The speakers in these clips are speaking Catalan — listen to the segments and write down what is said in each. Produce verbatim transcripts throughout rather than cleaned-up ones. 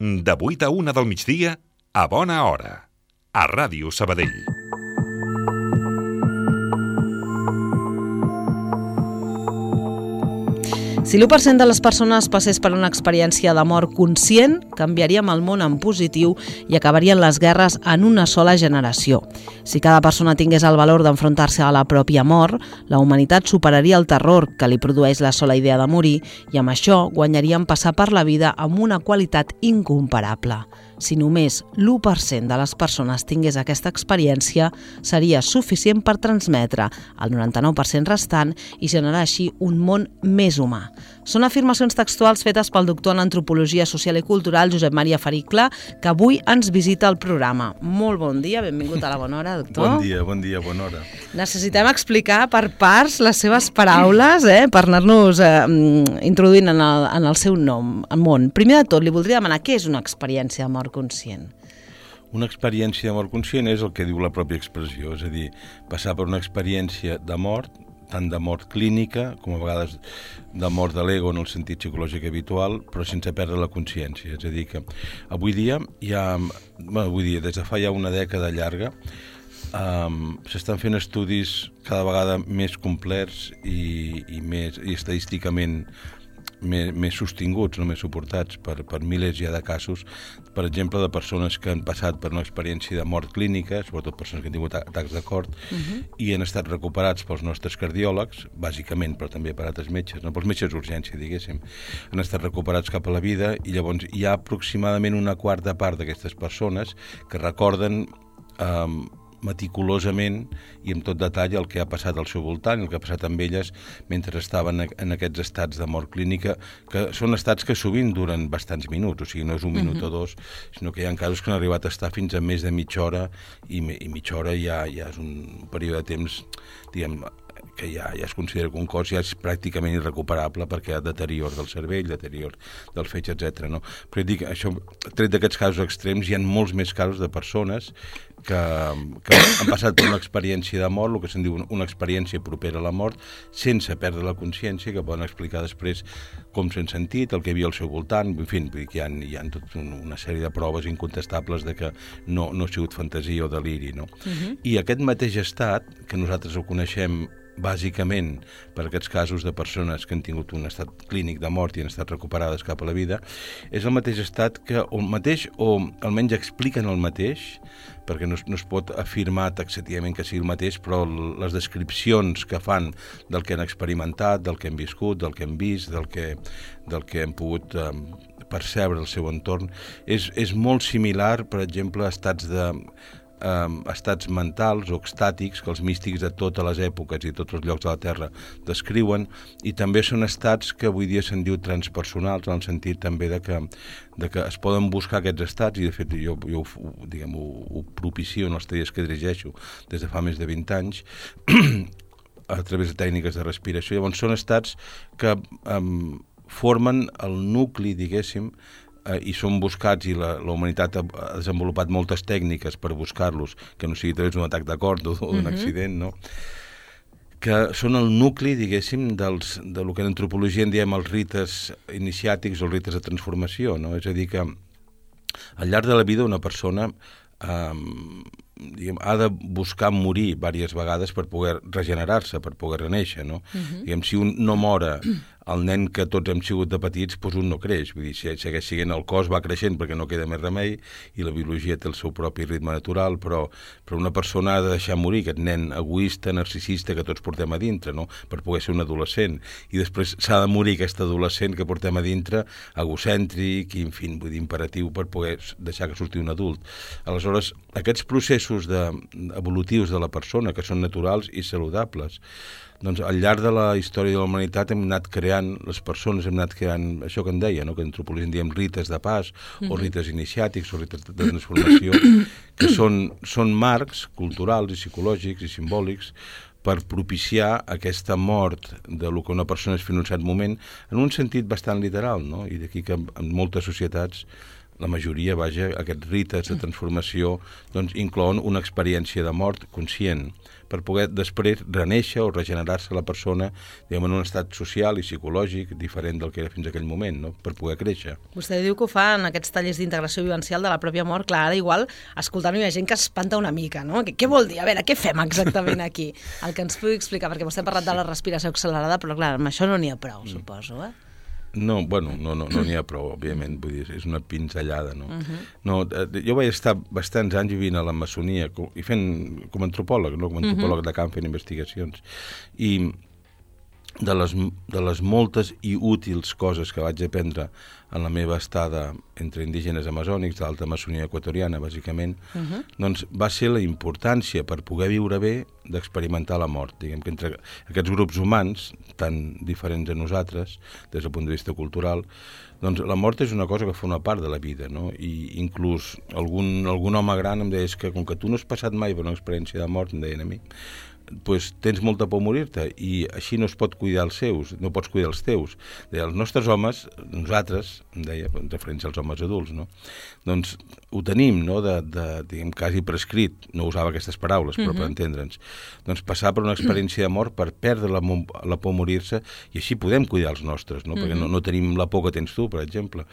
De vuit a una del migdia, a bona hora, a Ràdio Sabadell. Si l'u per cent de les persones passés per una experiència de mort conscient, canviaríem el món en positiu i acabarien les guerres en una sola generació. Si cada persona tingués el valor d'enfrontar-se a la pròpia mort, la humanitat superaria el terror que li produeix la sola idea de morir i amb això guanyaríem passar per la vida amb una qualitat incomparable. Si només l'u per cent de les persones tingués aquesta experiència, seria suficient per transmetre el noranta-nou per cent restant i generar així un món més humà. Són afirmacions textuals fetes pel doctor en Antropologia Social i Cultural, Josep Maria Fericla, que avui ens visita al programa. Molt bon dia, benvingut a la Bona Hora, doctor. Bon dia, bon dia, bona hora. Necessitem explicar per parts les seves paraules, eh, per anar-nos eh, introduint en el, en el seu nom, en món. Primer de tot, li voldria demanar què és una experiència de mort conscient. Una experiència de mort conscient és el que diu la pròpia expressió, és a dir, passar per una experiència de mort, tant de mort clínica com a vegades de mort de l'ego en el sentit psicològic habitual, però sense perdre la consciència. És a dir, que avui dia hi ha, bueno, avui dia, des de fa ja una dècada llarga, um, s'estan fent estudis cada vegada més complets i, i, més, i estadísticament Més, més sostinguts, no més suportats per, per milers ja de casos, per exemple, de persones que han passat per una experiència de mort clínica, sobretot persones que han tingut atacs de cor, uh-huh. i han estat recuperats pels nostres cardiòlegs, bàsicament, però també per altres metges, no? Pels metges d'urgència, diguéssim, han estat recuperats cap a la vida i llavors hi ha aproximadament una quarta part d'aquestes persones que recorden eh, meticulosament i amb tot detall el que ha passat al seu voltant, el que ha passat amb elles mentre estaven en aquests estats de mort clínica, que són estats que sovint duren bastants minuts, o sigui, no és un minut uh-huh. o dos, sinó que hi ha casos que han arribat a estar fins a més de mitja hora i, i mitja hora ja, ja és un període de temps, diguem, que ja, ja es considera que un cos ja és pràcticament irrecuperable perquè hi ha deterior del cervell, deterior del fetge, etcètera. No? Però dic, això, tret d'aquests casos extrems, hi ha molts més casos de persones que, que han passat per una experiència de mort, el que se'n diu una experiència propera a la mort, sense perdre la consciència, que poden explicar després com s'han sentit, el que hi havia al seu voltant, en fi, hi ha, hi ha tot una sèrie de proves incontestables de que no, no ha sigut fantasia o deliri. No? Uh-huh. I aquest mateix estat, que nosaltres ho coneixem bàsicament per aquests casos de persones que han tingut un estat clínic de mort i han estat recuperades cap a la vida, és el mateix estat que, o el mateix, o almenys expliquen el mateix, perquè no, no es pot afirmar taxativament que sigui el mateix, però les descripcions que fan del que han experimentat, del que han viscut, del que han vist, del que, del que han pogut eh, percebre el seu entorn, és, és molt similar, per exemple, a estats de Um, estats mentals o extàtics que els místics de totes les èpoques i tots els llocs de la Terra descriuen, i també són estats que avui dia se'n diu transpersonals, en el sentit també de que, de que es poden buscar aquests estats, i de fet jo, jo diguem, ho, ho propicio en els tallers que dirigeixo des de fa més de vint anys a través de tècniques de respiració. Llavors són estats que um, formen el nucli, diguéssim, i són buscats, i la, la humanitat ha, ha desenvolupat moltes tècniques per buscar-los, que no sigui a través d'un atac de cor o d'un uh-huh. accident, no? Que són el nucli, diguéssim, dels, de lo que en antropologia en diem els rites iniciàtics o els rites de transformació, no? És a dir, que al llarg de la vida una persona eh, diguem, ha de buscar morir diverses vegades per poder regenerar-se, per poder renéixer, no? Uh-huh. Diguem, si un no mora el nen que tots hem sigut de petits, doncs un no creix. Vull dir, si segueix sent el cos va creixent perquè no queda més remei i la biologia té el seu propi ritme natural, però, però una persona ha de deixar morir aquest nen egoista, narcisista que tots portem a dintre, no? Per poder ser un adolescent. I després s'ha de morir aquest adolescent que portem a dintre, egocèntric i, en fi, vull dir, imperatiu per poder deixar que surti un adult. Aleshores, aquests processos de, evolutius de la persona, que són naturals i saludables, doncs al llarg de la història de la humanitat hem anat creant, les persones hem anat creant això que en deia, no? Que en antropologia en diem rites de pas, mm-hmm. o rites iniciàtics, o rites de transformació, que són, són marcs culturals i psicològics i simbòlics per propiciar aquesta mort de lo que una persona és fins a un cert moment, en un sentit bastant literal, no? I d'aquí que en moltes societats la majoria, vaja, aquests rites de transformació doncs, inclouen una experiència de mort conscient per poder després renéixer o regenerar-se la persona diguem, en un estat social i psicològic diferent del que era fins a aquell moment, no? Per poder créixer. Vostè diu que ho fa en aquests tallers d'integració vivencial de la pròpia mort. Clar, ara igual, escoltant-ho hi ha gent que espanta una mica, no? Què, què vol dir? A veure, què fem exactament aquí? El que ens pugui explicar, perquè vostè ha parlat de la respiració accelerada, però clar, amb això no n'hi ha prou, suposo, eh? No, bueno, no n'hi no, no ha prou, òbviament, vull dir, és una pinzellada, no? Uh-huh. No, jo vaig estar bastants anys vivint a la maçonia i fent com a antropòleg, no? Com a antropòleg uh-huh. de camp fent investigacions, i de les, de les moltes i útils coses que vaig aprendre en la meva estada entre indígenes amazònics, de l'alta maçonia equatoriana, bàsicament, uh-huh. doncs va ser la importància per poder viure bé d'experimentar la mort. Diguem que entre aquests grups humans, tan diferents a nosaltres, des del punt de vista cultural, doncs la mort és una cosa que forma part de la vida, no? I inclús algun, algun home gran em deia que com que tu no has passat mai per una experiència de mort, em deien a mi, pues tens molta por a morir-te i així no es pot cuidar els seus, no pots cuidar els teus. Deia, els nostres homes, nosaltres, em deia, en referència als homes adults, no? Doncs ho tenim, no?, de, de, diguem, quasi prescrit, no usava aquestes paraules, però uh-huh. per entendre'ns, doncs passar per una experiència de mort per perdre la, la por a morir-se i així podem cuidar els nostres, no? Uh-huh. Perquè no, no tenim la por que tens tu, per exemple.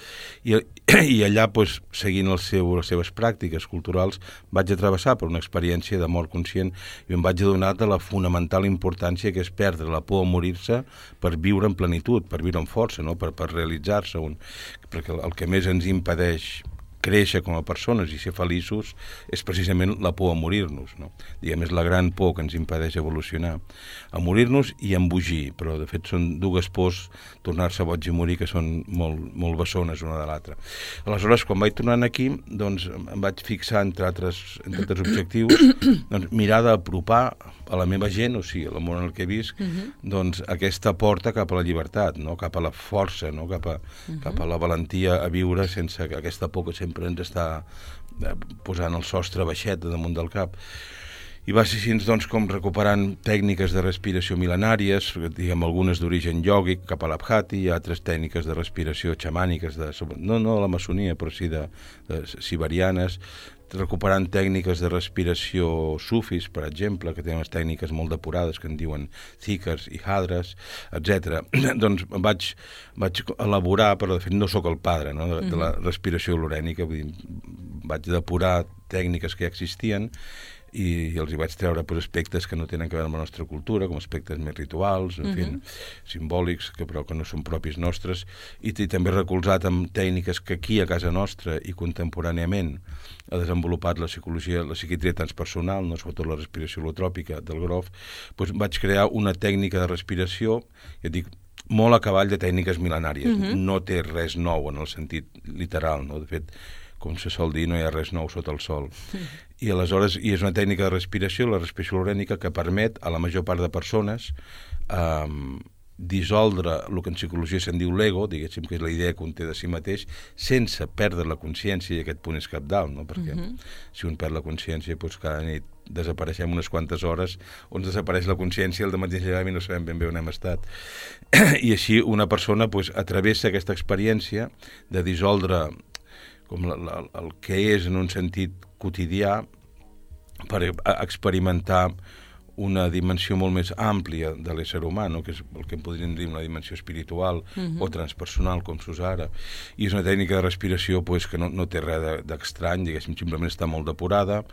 I, i allà, pues, seguint el seu, les seves pràctiques culturals, vaig a travessar per una experiència de mort conscient i em vaig adonar de la fonamental importància que és perdre la por a morir-se per viure en plenitud, per viure en força, no? per, per realitzar-se. Un... Perquè el que més ens impedeix créixer com a persones i ser feliços és precisament la por a morir-nos, no? Diguem, és la gran por que ens impedeix evolucionar. A morir-nos i a embogir, però de fet són dues pors, tornar-se boig i morir, que són molt, molt bessones una de l'altra. Aleshores, quan vaig tornant aquí, doncs em vaig fixar, entre altres, entre altres objectius, doncs, mirar d'apropar a la meva gent, o sigui, a l'amor en el que visc, uh-huh. doncs aquesta porta cap a la llibertat, no? Cap a la força, no? cap, a, uh-huh. cap a la valentia a viure sense aquesta por que sempre ens està posant el sostre baixet damunt del cap. I va ser així, doncs, com recuperant tècniques de respiració mil·lenàries, diguem, algunes d'origen iògic, cap a l'Abhati, i altres tècniques de respiració xamàniques, de, no, no de la maçonia, però sí de, de siberianes, recuperant tècniques de respiració sufis, per exemple, que tenen unes tècniques molt depurades, que en diuen zikars i hadres, etcètera. Doncs vaig, vaig elaborar, però de fet no sóc el padre, no? de, de la respiració olorènica, vull dir, vaig depurar tècniques que ja existien i, i els hi vaig treure pues, aspectes que no tenen a veure amb la nostra cultura, com aspectes més rituals, en fi, uh-huh. simbòlics, que però que no són propis nostres, i, i també recolzat amb tècniques que aquí a casa nostra i contemporàniament ha desenvolupat la psicologia, la psiquiatria transpersonal, no sobretot la respiració holotròpica del Grof, doncs vaig crear una tècnica de respiració, ja dic, molt a cavall de tècniques mil·lenàries. Uh-huh. No té res nou en el sentit literal, no? De fet, com se sol dir, no hi ha res nou sota el sol. Uh-huh. I aleshores, i és una tècnica de respiració, la respiració olorènica, que permet a la major part de persones eh, dissoldre el que en psicologia se'n diu l'ego, diguéssim que és la idea que un té de si mateix, sense perdre la consciència, i aquest punt és cabdal, no? Perquè uh-huh. si un perd la consciència, doncs cada nit desapareixem unes quantes hores, on desapareix la consciència, el dematí llevem i no sabem ben bé on hem estat. I així una persona doncs, atravessa aquesta experiència de dissoldre com la, la, el que és en un sentit quotidià per experimentar una dimensió molt més àmplia de l'ésser humà, no? Que és el que en podríem dir una dimensió espiritual uh-huh. o transpersonal, com s'usa ara. I és una tècnica de respiració pues, que no, no té res d'estrany, diguéssim, simplement està molt depurada,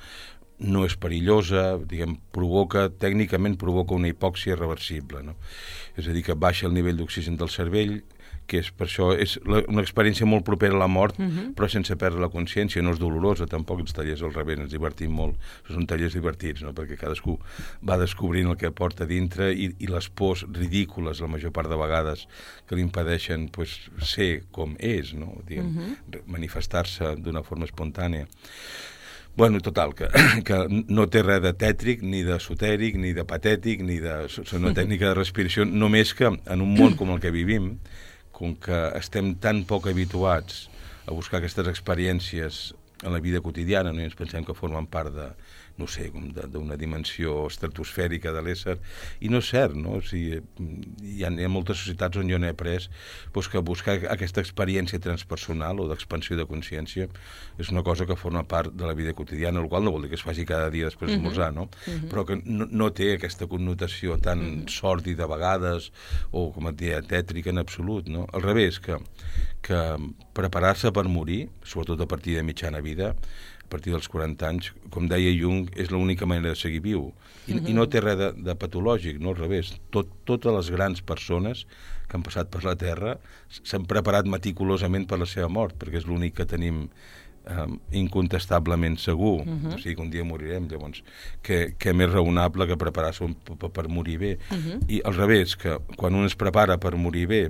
no és perillosa, diguem, provoca, tècnicament provoca una hipòxia reversible, no? És a dir, que baixa el nivell d'oxigen del cervell, que és per això és una experiència molt propera a la mort, uh-huh. però sense perdre la consciència, no és dolorosa, tampoc els tallers al revés, ens divertim molt, són tallers divertits, no? Perquè cadascú va descobrint el que porta dintre i, i les pors ridícules, la major part de vegades, que li impedeixen pues, ser com és, no? Diguem, uh-huh. manifestar-se d'una forma espontània. Bueno, total, que, que no té res de tètric, ni d'esotèric, ni de patètic, ni de... És una tècnica de respiració, només que en un món com el que vivim, com que estem tan poc habituats a buscar aquestes experiències en la vida quotidiana, no? I ens pensem que formen part de, no sé, d'una dimensió estratosfèrica de l'ésser, i no és cert, no? O sigui, hi ha, hi ha moltes societats on jo n'he après doncs, que buscar aquesta experiència transpersonal o d'expansió de consciència és una cosa que forma part de la vida quotidiana, el qual no vol dir que es faci cada dia després d'esmorzar, no? Uh-huh. Però que no, no té aquesta connotació tan uh-huh. sòrdida a vegades o, com et deia, tètrica en absolut, no? Al revés, que, que preparar-se per morir, sobretot a partir de mitjana vida, a partir dels quaranta anys, com deia Jung, és l'única manera de seguir viu. I, uh-huh. i no té res de, de patològic, no? Al revés. Tot, totes les grans persones que han passat per la Terra s'han preparat meticulosament per la seva mort, perquè és l'únic que tenim eh, incontestablement segur. Uh-huh. O sigui que un dia morirem, llavors. Què més raonable que preparar-se per, per morir bé. Uh-huh. I al revés, que quan un es prepara per morir bé,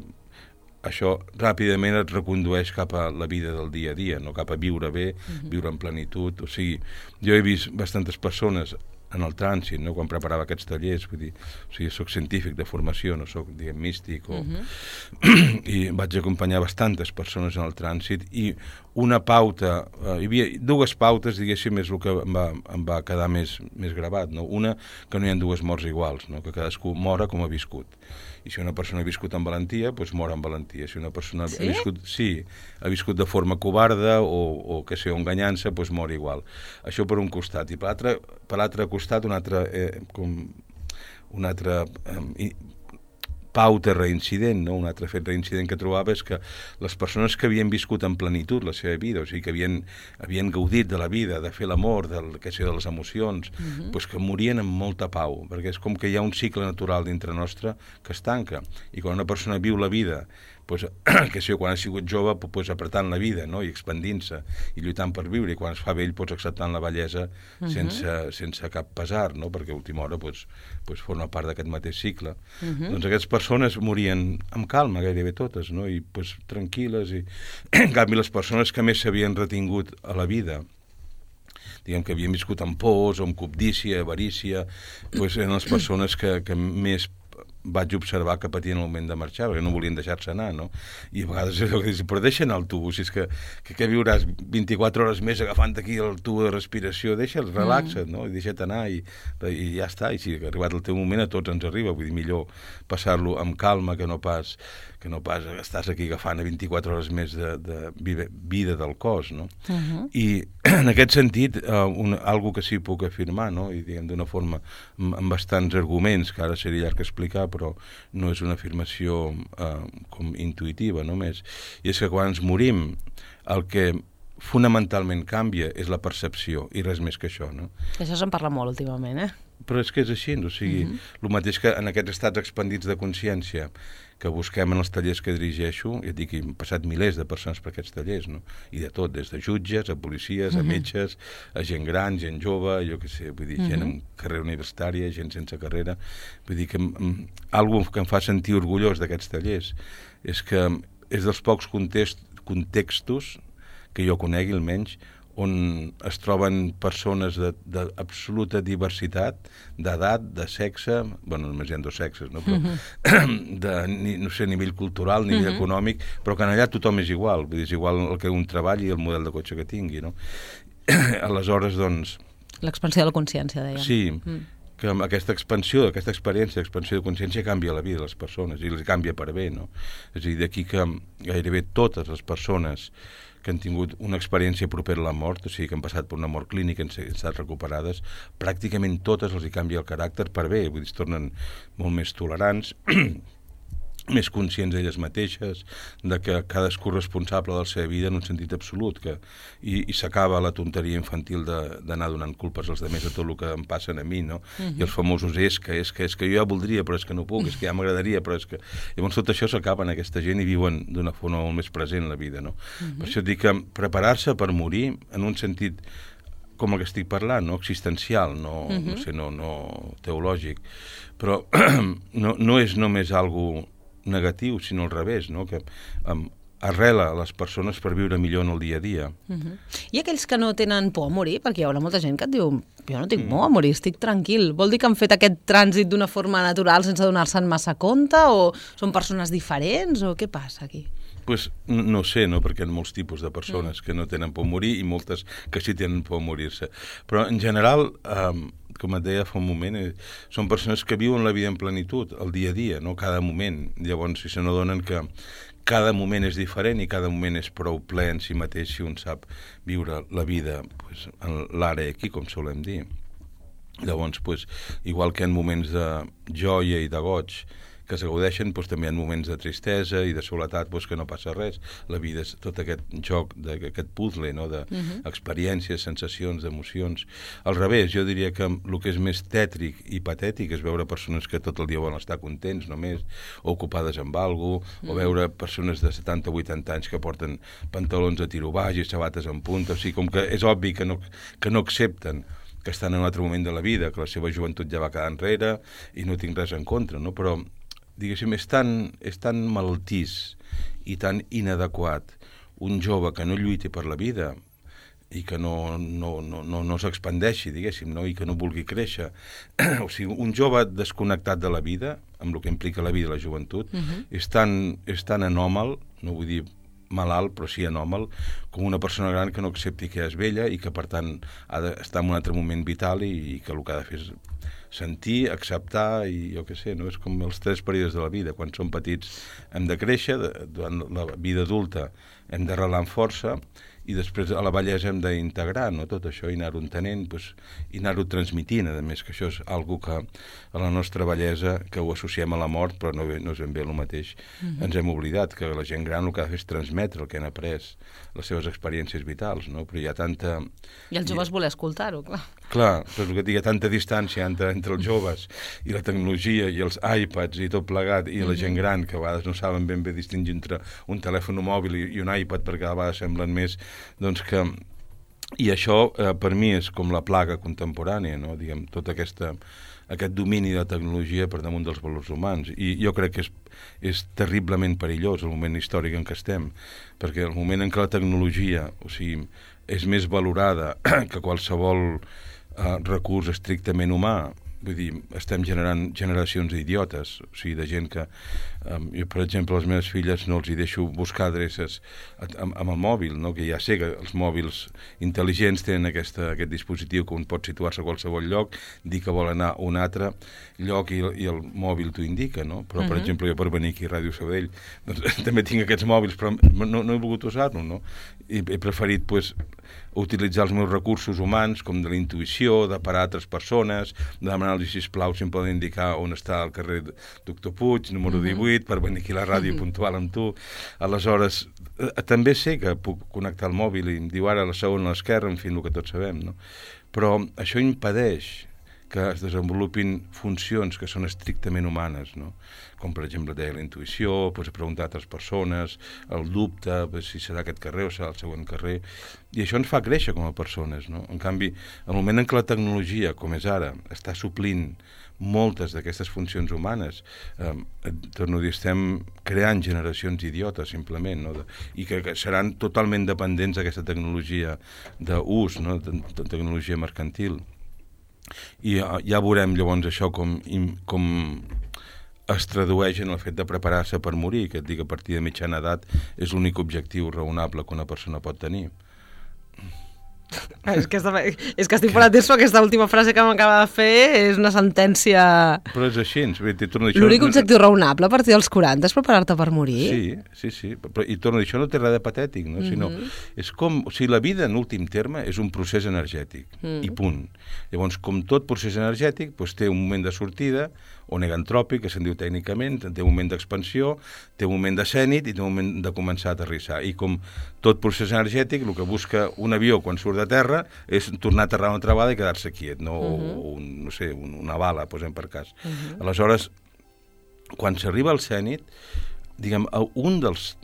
això ràpidament et recondueix cap a la vida del dia a dia, no? Cap a viure bé, uh-huh. viure en plenitud. O sigui, jo he vist bastantes persones en el trànsit, no? Quan preparava aquests tallers, vull dir, o sigui, soc científic de formació, no soc, diguem, místic, o... uh-huh. i vaig acompanyar bastantes persones en el trànsit, i una pauta, eh, hi havia dues pautes, diguéssim, és el que em va, em va quedar més, més gravat, no? Una, que no hi ha dues morts iguals, no? Que cadascú mora com ha viscut. I si una persona ha viscut amb valentia, doncs mor amb valentia. Si una persona sí? ha viscut, sí, ha viscut de forma covarda o, o que sé, enganyant-se, doncs mor igual. Això per un costat. I per l'altre per l'altre costat, un altre, eh, com, un altre eh, pauta reincident, no? Un altre fet reincident que trobava és que les persones que havien viscut en plenitud la seva vida, o sigui, que havien, havien gaudit de la vida, de fer l'amor, de, que sé, de les emocions, uh-huh. doncs que morien amb molta pau, perquè és com que hi ha un cicle natural dintre nostre que es tanca, i quan una persona viu la vida, pues, que sé, quan ha sigut jove, pues, apretant la vida, no? I expandint-se, i lluitant per viure, i quan es fa vell, pues, acceptant la bellesa uh-huh. sense, sense cap pesar, no? Perquè a última hora pues, pues, forma part d'aquest mateix cicle. Uh-huh. Doncs aquestes persones morien amb calma, gairebé totes, no? I pues, tranquil·les, i en canvi les persones que més s'havien retingut a la vida, diguem que havien viscut amb pors, o amb cobdícia, avarícia, pues, eren les persones que, que més vaig observar que patien el moment de marxar, perquè no volien deixar-se anar, no? I a vegades és el que dius, però deixa anar el tubo, si és que, que, que viuràs vint-i-quatre hores més agafant aquí el tubo de respiració, deixa'l, relaxa't, no? I deixa't anar, i, i ja està, i si ha arribat el teu moment a tots ens arriba, vull dir, millor passar-lo amb calma que no pas que no pas estàs aquí agafant a vint-i-quatre hores més de, de vida del cos, no? Uh-huh. I en aquest sentit, uh, un, algo que sí puc afirmar, no? I diguem d'una forma amb, amb bastants arguments, que ara seria llarg explicar, però no és una afirmació uh, com intuïtiva només, i és que quan ens morim, el que fonamentalment canvia és la percepció, i res més que això, no? Això se'n parla molt últimament, eh? Però és que és així, o sigui, uh-huh. el mateix que en aquests estats expandits de consciència que busquem en els tallers que dirigeixo, i et dic que he passat milers de persones per aquests tallers, no? I de tot, des de jutges, a policies, a metges, a gent gran, gent jove, jo què sé, vull dir, uh-huh. gent amb carrera universitària, gent sense carrera, vull dir que algo que em fa sentir orgullós d'aquests tallers és que és dels pocs context, contextos que jo conegui almenys, on es troben persones d'absoluta diversitat, d'edat, de sexe, bueno, només hi ha dos sexes, no? Però uh-huh. de, no sé, nivell cultural, nivell uh-huh. econòmic, però que allà tothom és igual, vull dir, és igual el que un treballi i el model de cotxe que tingui, no? Aleshores, doncs... L'expansió de la consciència, deia. Sí, mm. que aquesta expansió, aquesta experiència d'expansió de consciència canvia la vida de les persones, i les canvia per bé, no? És a dir, d'aquí que gairebé totes les persones que han tingut una experiència propera a la mort, o sigui, que han passat per una mort clínica i han estat recuperades, pràcticament totes els hi canvia el caràcter per bé, vull dir, es tornen molt més tolerants, més conscients d'elles mateixes, de que cadascú és responsable de la seva vida en un sentit absolut, que, i, i s'acaba la tonteria infantil d'anar donant culpes als altres de tot el que em passen a mi, no? Uh-huh. I els famosos és que, és que, és que jo ja voldria, però és que no puc, és que ja m'agradaria, però és que... Llavors tot això s'acaba en aquesta gent i viuen d'una forma molt més present la vida, no? Uh-huh. Per això et dic que preparar-se per morir, en un sentit com el que estic parlant, no? Existencial, no, uh-huh. no sé, no, no teològic, però no, no és només algo negatiu, sinó al revés, no? Que um, arrela a les persones per viure millor en el dia a dia. Uh-huh. I aquells que no tenen por a morir, perquè hi haurà molta gent que et diu jo no tinc por a morir, estic tranquil. Vol dir que han fet aquest trànsit d'una forma natural sense donar-se'n massa compte, o són persones diferents, o què passa aquí? Pues, no sé, no? Perquè hi ha molts tipus de persones mm. que no tenen por a morir i moltes que sí tenen por a morir-se. Però, en general, eh, com et deia fa un moment, eh, són persones que viuen la vida en plenitud, el dia a dia, no? Cada moment. Llavors, si se n'adonen que cada moment és diferent i cada moment és prou ple en si mateix si un sap viure la vida pues, en l'ara aquí, com solem dir. Llavors, pues, igual que en moments de joia i de goig que s'agaudeixen, doncs, també hi ha moments de tristesa i de soledat, doncs, que no passa res. La vida és tot aquest joc, aquest puzzle, no? D'experiències, sensacions, d'emocions. Al revés, jo diria que el que és més tètric i patètic és veure persones que tot el dia volen estar contents només, o ocupades amb alguna cosa, o veure persones de setanta o vuitanta anys que porten pantalons a tiro baix i sabates en punta. O sigui, com que és obvi que no, que no accepten que estan en un altre moment de la vida, que la seva joventut ja va quedar enrere i no tinc res en contra, no? Però diguéssim, és tan, és tan malaltís i tan inadequat un jove que no lluiti per la vida i que no, no, no, no, no s'expandeixi, diguéssim, no? I que no vulgui créixer. O sigui, un jove desconnectat de la vida, amb el que implica la vida i la joventut, uh-huh. és, tan, és tan anòmal, no vull dir malalt, però sí anòmal, com una persona gran que no accepti que és vella i que, per tant, ha d'estar en un altre moment vital i, i que el que ha de fer és sentir, acceptar i jo què sé, no? És com els tres períodes de la vida. Quan som petits hem de créixer, durant la vida adulta hem d'arrelar amb força i després a la vellesa hem d'integrar, no? Tot això i anar-ho entenent doncs, i anar-ho transmitint, a més que això és algo que a la nostra vellesa, que ho associem a la mort, però no, no és ben bé el mateix. Mm-hmm. Ens hem oblidat que la gent gran el que ha de fer és transmetre el que han après, les seves experiències vitals, no? Però hi ha tanta... I els joves voler escoltar-ho, clar. Clar, però el que hi ha tanta distància entre, entre els joves i la tecnologia i els iPads i tot plegat i mm-hmm. la gent gran, que a vegades no saben ben bé distingir entre un telèfon mòbil i, i un iPad, perquè a vegades semblen més doncs que... I això, eh, per mi, és com la plaga contemporània, no? Diguem, tot aquesta, aquest domini de la tecnologia per damunt dels valors humans. I jo crec que és, és terriblement perillós el moment històric en què estem, perquè el moment en què la tecnologia, o sigui, és més valorada que qualsevol eh, recurs estrictament humà, vull dir, estem generant generacions d'idiotes, o sigui, de gent que... Um, jo, per exemple, les meves filles no els hi deixo buscar adreces amb, amb el mòbil, no? Que ja sé que els mòbils intel·ligents tenen aquesta, aquest dispositiu que un pot situar-se a qualsevol lloc, dir que vol anar a un altre lloc i, i el mòbil t'ho indica, no? Però, per uh-huh. exemple, jo per venir aquí a Ràdio Sabadell doncs, també tinc aquests mòbils, però no, no he volgut usar-lo, no? I he preferit, pues, utilitzar els meus recursos humans, com de la intuïció, de parar altres persones, de demanar-los, sisplau, si em poden indicar on està el carrer Doctor Puig, número divuit, per venir aquí a la ràdio puntual amb tu. Aleshores, eh, també sé que puc connectar el mòbil i em diu ara a la segona a l'esquerra, en fi, el que tots sabem, no? Però això impedeix que es desenvolupin funcions que són estrictament humanes, no? Com, per exemple, deia la intuïció, pues, preguntar a altres persones, el dubte, pues, si serà aquest carrer o serà el següent carrer, i això ens fa créixer com a persones, no? En canvi, el moment en què la tecnologia, com és ara, està suplint moltes d'aquestes funcions humanes, eh, torno a dir, estem creant generacions idiotes, simplement, no? De, i que, que seran totalment dependents d'aquesta tecnologia d'ús, no? De, de tecnologia mercantil. I ja, ja veurem llavors això com, com es tradueix en el fet de preparar-se per morir, que et dic que a partir de mitjana edat és l'únic objectiu raonable que una persona pot tenir. És que, està, és que estic fora de temps, però aquesta última frase que m'acaba de fer és una sentència... Però és així. L'únic objectiu raonable a partir dels quaranta és preparar-te per morir? Sí, sí, sí. Però, i torno a dir, això no té res de patètic, no? Mm-hmm. Sinó, és com, o sigui, la vida, en últim terme, és un procés energètic, mm. i punt. Llavors, com tot procés energètic, doncs, té un moment de sortida, o negantròpic, que se'n diu tècnicament, té un moment d'expansió, té un moment de zènit i té un moment de començar a aterrissar. I com tot procés energètic, el que busca un avió quan surt de terra és tornar a aterrar una altra vegada i quedar-se quiet, no, uh-huh. o un, no sé, una bala, posem per cas. Uh-huh. Aleshores, quan s'arriba al zènit, diguem, un dels,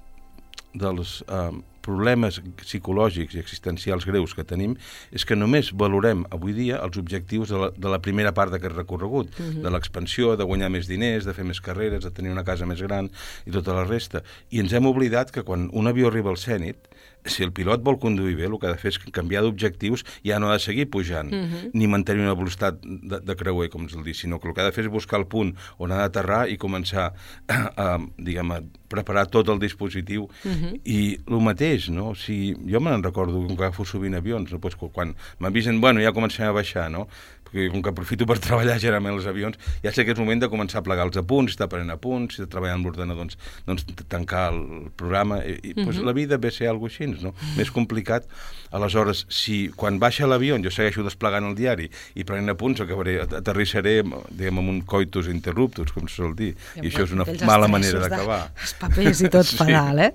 dels eh, problemes psicològics i existencials greus que tenim és que només valorem avui dia els objectius de la, de la primera part d'aquest recorregut, uh-huh. de l'expansió, de guanyar més diners, de fer més carreres, de tenir una casa més gran i tota la resta. I ens hem oblidat que quan un avió arriba al zènit si el pilot vol conduir bé, el que ha de fer és canviar d'objectius i ja no ha de seguir pujant, uh-huh. ni mantenir una velocitat de, de creuer, com es diu, sinó que el que ha de fer és buscar el punt on ha d'aterrar i començar a, a, diguem, a preparar tot el dispositiu. Uh-huh. I el mateix, no? O sigui, jo me'n recordo que agafo sovint avions, no? Pues, quan m'avisen, bueno, ja comencem a baixar, no? Perquè com que aprofito per treballar generalment els avions, ja sé que és moment de començar a plegar els apunts, estar prenent apunts, si treballar amb l'ordenador, doncs, doncs tancar el programa, i, i uh-huh. pues, la vida ve a ser alguna cosa així, no? Més complicat. Aleshores, si quan baixa l'avió jo segueixo desplegant el diari i prenent apunts, acabaré, aterrissaré, diguem, amb un coitus interruptus, com se sol dir, i, i això és una mala manera d'acabar. Els papers i tot sí. pedal, eh?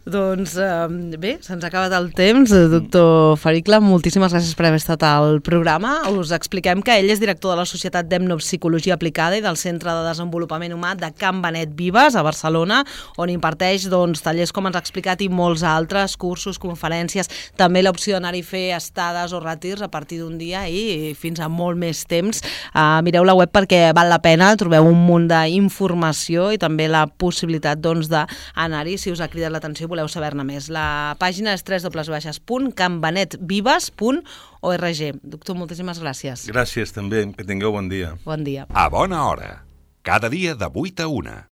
Doncs eh, bé, se'ns ha acabat el temps. Doctor Fericla, moltíssimes gràcies per haver estat al programa. Us expliquem que ell és director de la Societat d'Etnopsicologia Aplicada i del Centre de Desenvolupament Humà de Can Benet Vives, a Barcelona, on imparteix doncs, tallers, com ens ha explicat, i molts altres, cursos, conferències, també l'opció d'anar-hi a fer estades o retirs a partir d'un dia i fins a molt més temps. Uh, mireu la web perquè val la pena, trobeu un munt d'informació i també la possibilitat doncs, d'anar-hi si us ha cridat l'atenció i voleu saber-ne més. La pàgina és w w w punt can benet vives punt org. Doctor, moltíssimes gràcies. Gràcies també, que tingueu bon dia. Bon dia. A bona hora, cada dia de vuit a una.